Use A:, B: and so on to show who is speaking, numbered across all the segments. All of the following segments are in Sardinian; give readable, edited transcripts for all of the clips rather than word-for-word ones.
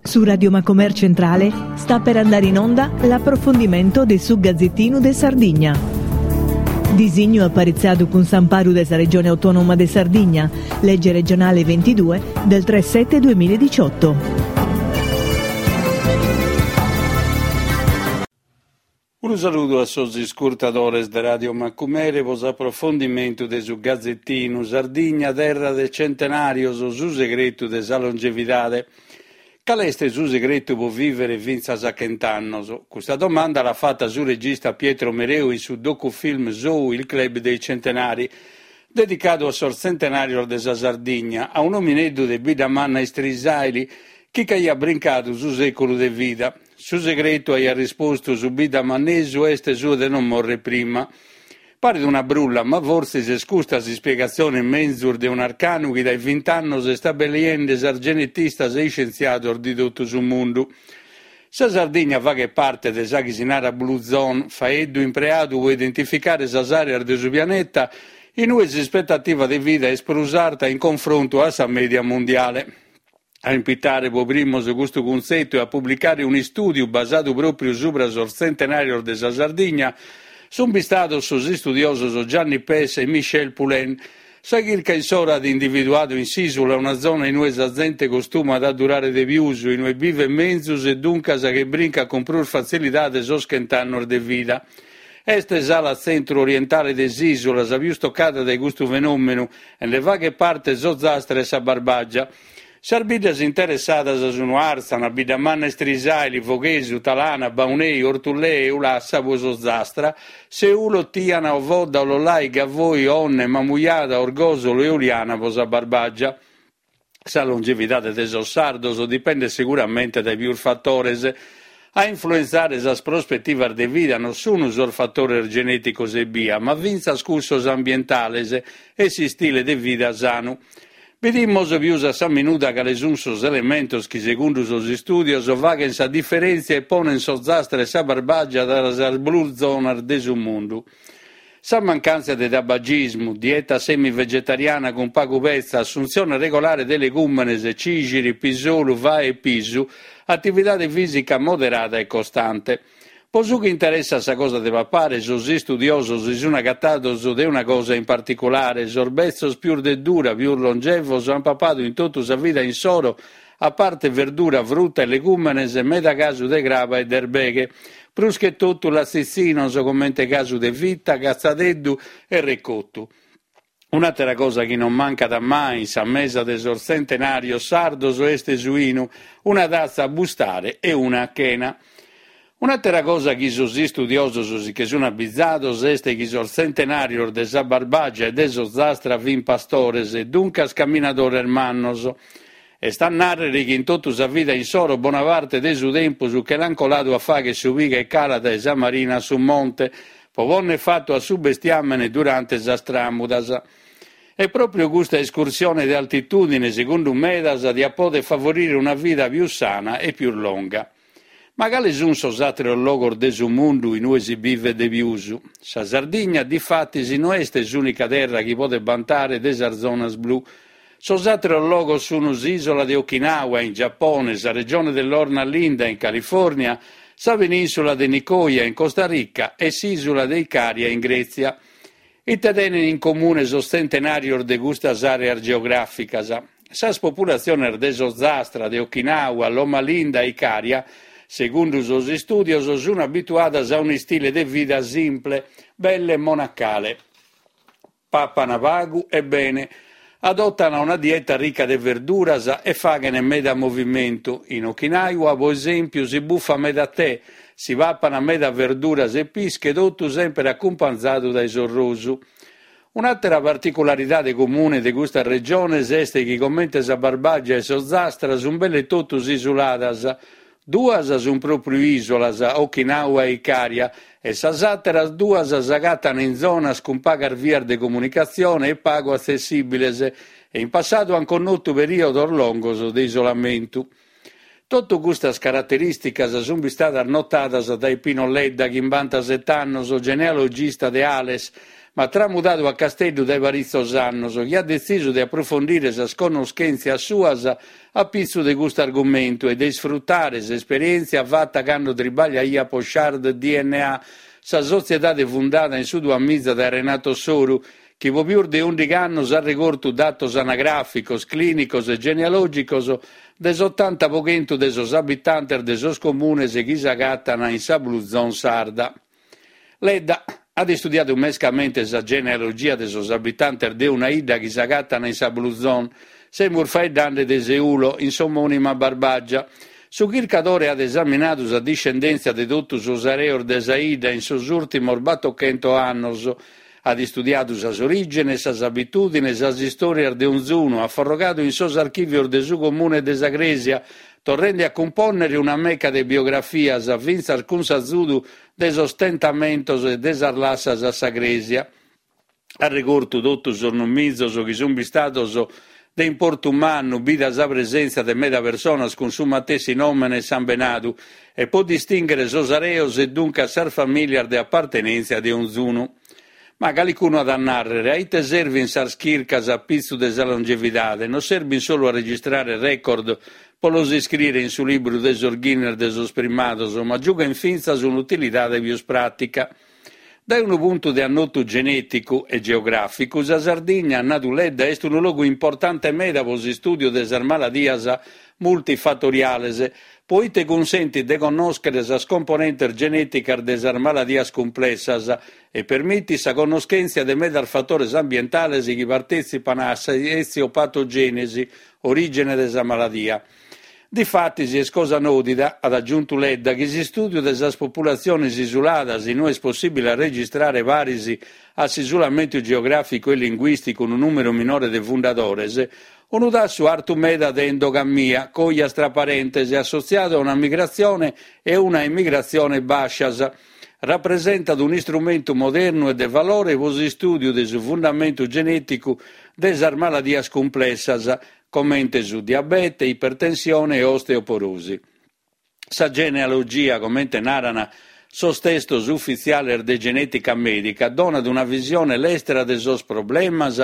A: Su Radio Macomer Centrale sta per andare in onda l'approfondimento de su Gazzettinu de Sardigna. Disignu aparitzadu cun s'amparu de sa Regione Autonoma de Sardigna, Legge regionale 22 del 3 7 2018.
B: Unu saludu a sos iscurtadores de Radio Macumere pro s'aprofondimentu de su gazetinu Sardigna terra de centenàrios, su segretu de sa longevidade. Cale est su segretu pro vìvere fintzas a chent'annos? Custa domanda l'at fata su regista Pietro Mereu in su docufilm sou Il club dei centenari, dedicadu a sos tzentenàrios de sa Sardigna, a un'omineddu de Biddamanna Istrisàili chi ch'aiat brincadu su sèculu de vida. Su segretu, aiat rispostu su biddamannesu, est su de non morrer prima. Paret una brulla, ma fortzis est custa s'ispiegatzione menzus de un'arcanu chi dae vint'annos est abeliende sas genetistas e iscientziados de totu su mundu. Sa Sardigna faghet parte de sa chi si narat Blue Zone, faeddu impreadu pro identificare sas àreas de su pianeta in ue s'ispetativa de vida est prus arta in confrontu a sa mèdia mundiale. A impitare pro primos custu cuntzetu e a publicare un'istùdiu basadu pròpriu subra sos tzentenàrios de sa Sardigna sunt bistados sos istudiosos Gianni Pes e Michel Poulain. Sa chirca insoro at individuadu in s'ìsula una zona in ue sa zente costumat a durare de pius, in ue bivet menzus e duncas che brincat cun prus fatzilidade sos chent'annos de vida. Est s'ala tzentru-orientale de s'ìsula sa pius tocada dae custu fenòmenu e nde faghet parte s'Ozastra e sa Barbàgia. Sas biddas interessadas sun Àrtzana, Biddamanna Istrisàili, Foghesu, Talana, Baunei, Orthullè e Ulassa pro s'Ozastra, Seulo, Tìana, Ovodda, Ollolai, Gavoi, Onne, Mamujada, Orgòsolo e Uliana pro sa Barbàgia. Sa longevidade de sos sardos dipendet seguramente dae pius fatores. A influentzare sas prospetivas de vida non sun sos fatores genèticos ebbia, ma fintzas cussos ambientales e s'istile de vida sanu. Bidimos pius a sa minuda cale sun sos elementos chi, segundu sos istùdios, faghen sa diferèntzia e ponen s'Ozastra e sa Barbàgia tra sas blue zonas de su mundu. Sa mancàntzia de tabagismu, dieta semi-vegetariana cun pagu petza, assuntzione regolare de legùmenes, cìxiri, pisolu, fae e pisu, atividade fìsica moderada e costante. Pro su chi interessat sa cosa de papare, sos istudiosos si sun agatados de una cosa in particulare, sos betzos pius de dura, pius longevos, an papadu in totu sa vida insoro, a parte verdura, fruta e legùmenes, meda casu de craba e de erbeghe, prus che totu latzitzinos comente casu de fita, catzadeddu e recotu. Un'àtera cosa chi non mancat mai in sa mesa de sos tzentenàrios sardos est su 'inu, una tatza a bustare e una a chena. Un'àtera cosa chi sos istudiosos si che sun abizados est chi sos tzentenàrios de sa Barbàgia e de s'Ozastra fin pastores, duncas caminadores mannos. Est a nàrrere chi in totu sa vida insoro bona parte de su tempus che l'an coladu a fagher su piga e cala dae sa marina a su monte, pro ponner fatu a su bestiàmene durante sas tràmudas. E pròpriu custa escursione de altitùdine, segundu medas, diat poder favorire una vida pius sana e pius longa. Ma cale sun sos àteros logos de su mundu in ue si bivet de pius? Sa Sardigna, difatis, no est s'ùnica terra chi podet bantare de sas zonas blu. Sos àteros logos sun s'ìsola de Okinawa, in Giapone, sa regione de Lorna Linda, in Califòrnia, sa penìnsula de Nicoya, in Costa Rica, e s'ìsula de Icària, in Grètzia. Ite tenen in comune sos tzentenàrios de custas àreas geogràficas? Sas populatziones de s'Ozastra, de Okinawa, Loma Linda e Icària, segundu sos istùdios, sun abituadas a un'istile de vida simple, belle monacale. Papan pagu e bene, adotan una dieta rica de verduras e faghen meda movimentu. In Okinawa, pro esèmpiu, si bufat meda tè, si papan meda verduras e pische, totu semper acumpanzadu dae s'orrosu. Un'àtera particularidade comune de custas regiones est chi comente sa Barbàgia e s'Ozastra sunt belle totus isuladas. Duas sunt pròpriu ìsolas, Okinawa e Icària, e sas àteras duas s'agatan in zonas cun pagas vias de comunicatzione e pagu atzessìbiles e in passadu ant connotu perìodos longos de isolamentu. Totu custas caraterìsticas sunt bistadas notadas dae Pino Ledda, chimbantaset'annos, genealogista de Ales. ma tramudadu a Casteddu dae paritzos annos, chi at detzisu de aprufondire sas connoschèntzias suas a pitzu de custu argumentu e de isfrutare s'esperièntzia fata cando tribagliaiat pro Shard DNA, sa sotziedade fundada in su duamiza dae Renato Soru, chi pro pius de ùndighi annos at regortu datos anagràficos, clìnicos e genealògicos de s'otanta pro chentu de sos abitantes de sos comunes chi s'agatan in sa Blue Zone sarda. Ledda at istudiadu mescamente sa genealogia de sos abitantes de una 'idda chi s'agatan in sa Blue Zone, semus faeddande de Seulo, in s'omònima Barbàgia. Su chircadore at esaminadu sa discendèntzia de totu sos areos de sa 'idda in sos ùrtimos batochentos annos. At istudiadu sas orìgenes, sas abitùdines, sas istòrias de onzunu, at forrogadu in sos archìvios de su Comune e de sa Crèsia, torrende a cumpònnere una meca de biografias, fintzas cun s'azudu de sos tentamentos e de sas lassas a sa Crèsia. At regortu totu sos nomizos chi sunt bistados de importu mannu, bida sa presèntzia de meda personas cun su matessi nòmene e sambenadu, e po distìnghere sos areos e duncas sas famìlias de apartenèntzia de onzunu. Ma calicunu at a nàrrere, a ite servint sas chircas a pitzu de sa longevidade? Non serbint solu a registrare record po los iscrìere in su libru de sos Guinness de sos primados, ma giughent fintzas un'utilidade pius pràtica. Dae unu puntu de annotu genèticu e geogràficu, sa Sardigna, at nadu Ledda, est unu logu importante meda pro s'istùdiu de sas maladias multifatoriales, pro ite cunsentit de connòschere sas componentes genèticas de sas maladias cumplessas e permitit sa connoschèntzia de medas fatores ambientales chi partètzipan a sa etziopatogènesi, orìgene de sa maladia. Difatis est cosa nòdida, at agiuntu Ledda, chi s'istùdiu de sas populatziones isuladas, in ue est possìbile a registrare paris a s'isulamentu geogràficu e linguìsticu unu nùmeru minore de fundadores, unu tassu artu meda de endogamia, cojas tra parentes, assotziadu a una migratzione e una emigratzione bàscias, rapresentat un'istrumentu modernu e de valore pro s'istùdiu de su fundamentu genèticu de sas maladias cumplessas, comente su diabete, ipertensione e osteoporosi. Sa genealogia, comente naran sos testos ufitziales de genètica mèdica, donat una visione lestra de sos problemas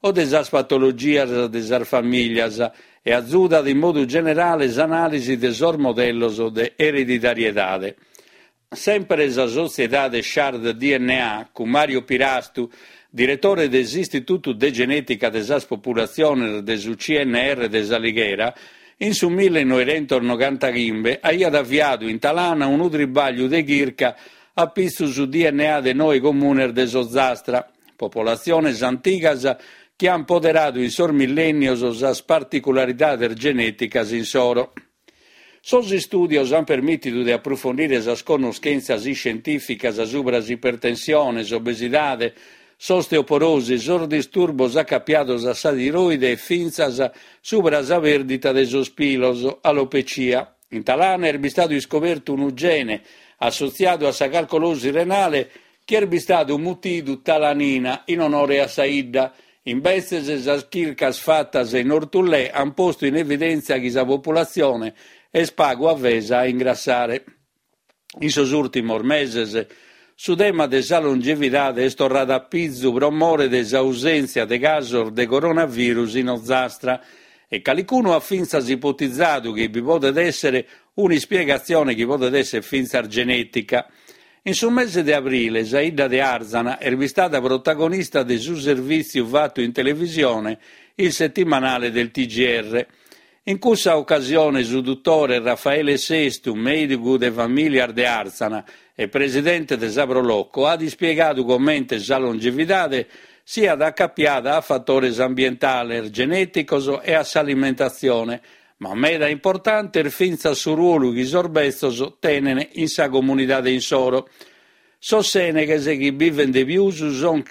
B: o de sas patologias de sas famìlias e azudat in modu generale s'anàlisi de sos modellos de ereditariedade. Semper sa sotziedade Shard DNA, cun Mario Pirastu, diretore de s'Istitutu de Genètica de sas Populatziones de su CNR de S'Alighera, in su millenoighentos-nogantachimbe aiat aviadu in Talana unu tribàgliu de chirca a pitzu su DNA de noe comunes de s'Ozastra, popolatziones antigas chi ant poderadu in sos millènnios sas particularidades genèticas insoro. Sos istùdios ant permìtidu de aprufondire sas connoschèntzias iscientìficas subra s'ipertensione, s'obesidade, s'osteoporosi, sos disturbos acapiados a sa tiroide e fintzas subra sa pèrdita de sos pilos, alopecia. In Talana est bistadu iscobertu unu gene assotziadu a sa calcolosi renale chi est bistadu mutidu talanina in onore a sa 'idda. Imbetzes sas chircas fatas in Orthullè ant postu in evidèntzia chi sa populatzione est pagu avesa a ingrassare. In sos ùrtimos meses su tema de sa longevidade est torradu a pizu pro more de s'ausèntzia de casos de coronavirus in Ozastra e calicunu at fintzas ipotizadu chi bi podet èssere un'ispiegatzione chi podet èssere fintzas genètica. In su mese de abrile sa 'idda de Arzana est bistada protagonista de su servìtziu fatu in televisione Il settimanale del TGR. In cussa ocasione su dutore Raffaele Sestu, mèigu de famìlias de Arzana e presidente de sa Pro Loco, at ispiegadu comente sa longevidade siat acapiada a fatores ambientales, genèticos e a s'alimentatzione, Ma meda importante est fintzas su ruolu chi sos betzos tenen in sa comunidade insoro. Sos sèneghes chi biven de pius son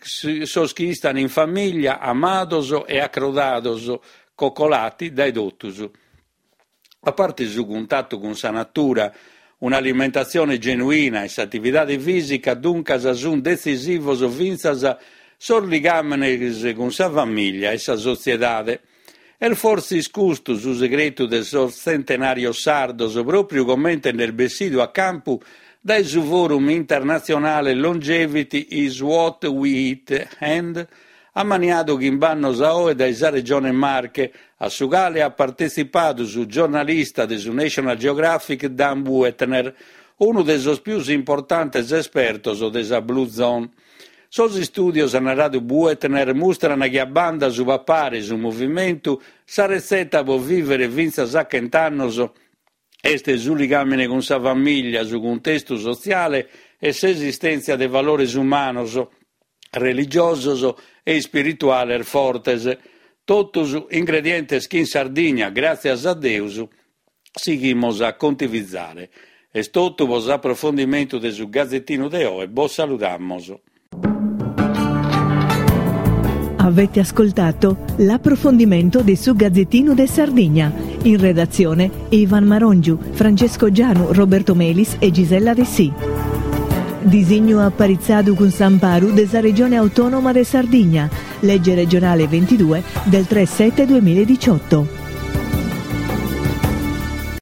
B: sos chi istan in famìglia, amados e acrodados, coccolati dae totus. A parte su cuntatu cun sa natura, un'alimentatzione genuina e s'atividade fìsica duncas sunt detzisivos fintzas sos ligàmenes cun sa famìglia e sa sotziedade. Est fortzis custu su segretu de sos tzentenàrios sardos, pròpriu comente nd'est bessidu a campu dae su forum internatzionale Longevity is what we eat and ammaniadu chimb'annos a oe dae sa Regione Marche, a su cale at partetzipadu su giornalista de su National Geographic Dan Buettner, unu de sos pius importantes espertos de sa Blue Zone. Sos istùdios, at naradu Buettner, mustran chi a banda su papare e su movimentu, sa retzeta pro vìvere fintzas a chent'annos est su ligàmene cun sa famìllia, su cuntestu sotziale e s'esistèntzia de valores umanos, religiosos e ispirituales fortes. Totus ingredientes chi in Sardigna, gràtzias a Deus, sighimos a contivizare. Est totu pro s'aprofondimentu de su Gazetinu de oe, bos saludamos.
A: Avete ascoltato l'approfondimento de su Gazzettino de Sardigna. In redazione Ivan Marongiu, Francesco Gianu, Roberto Melis e Gisella Dessì. Disignu aparitzadu cun s'amparu de sa Regione Autonoma de Sardigna, legge regionale 22 del 3 7 2018.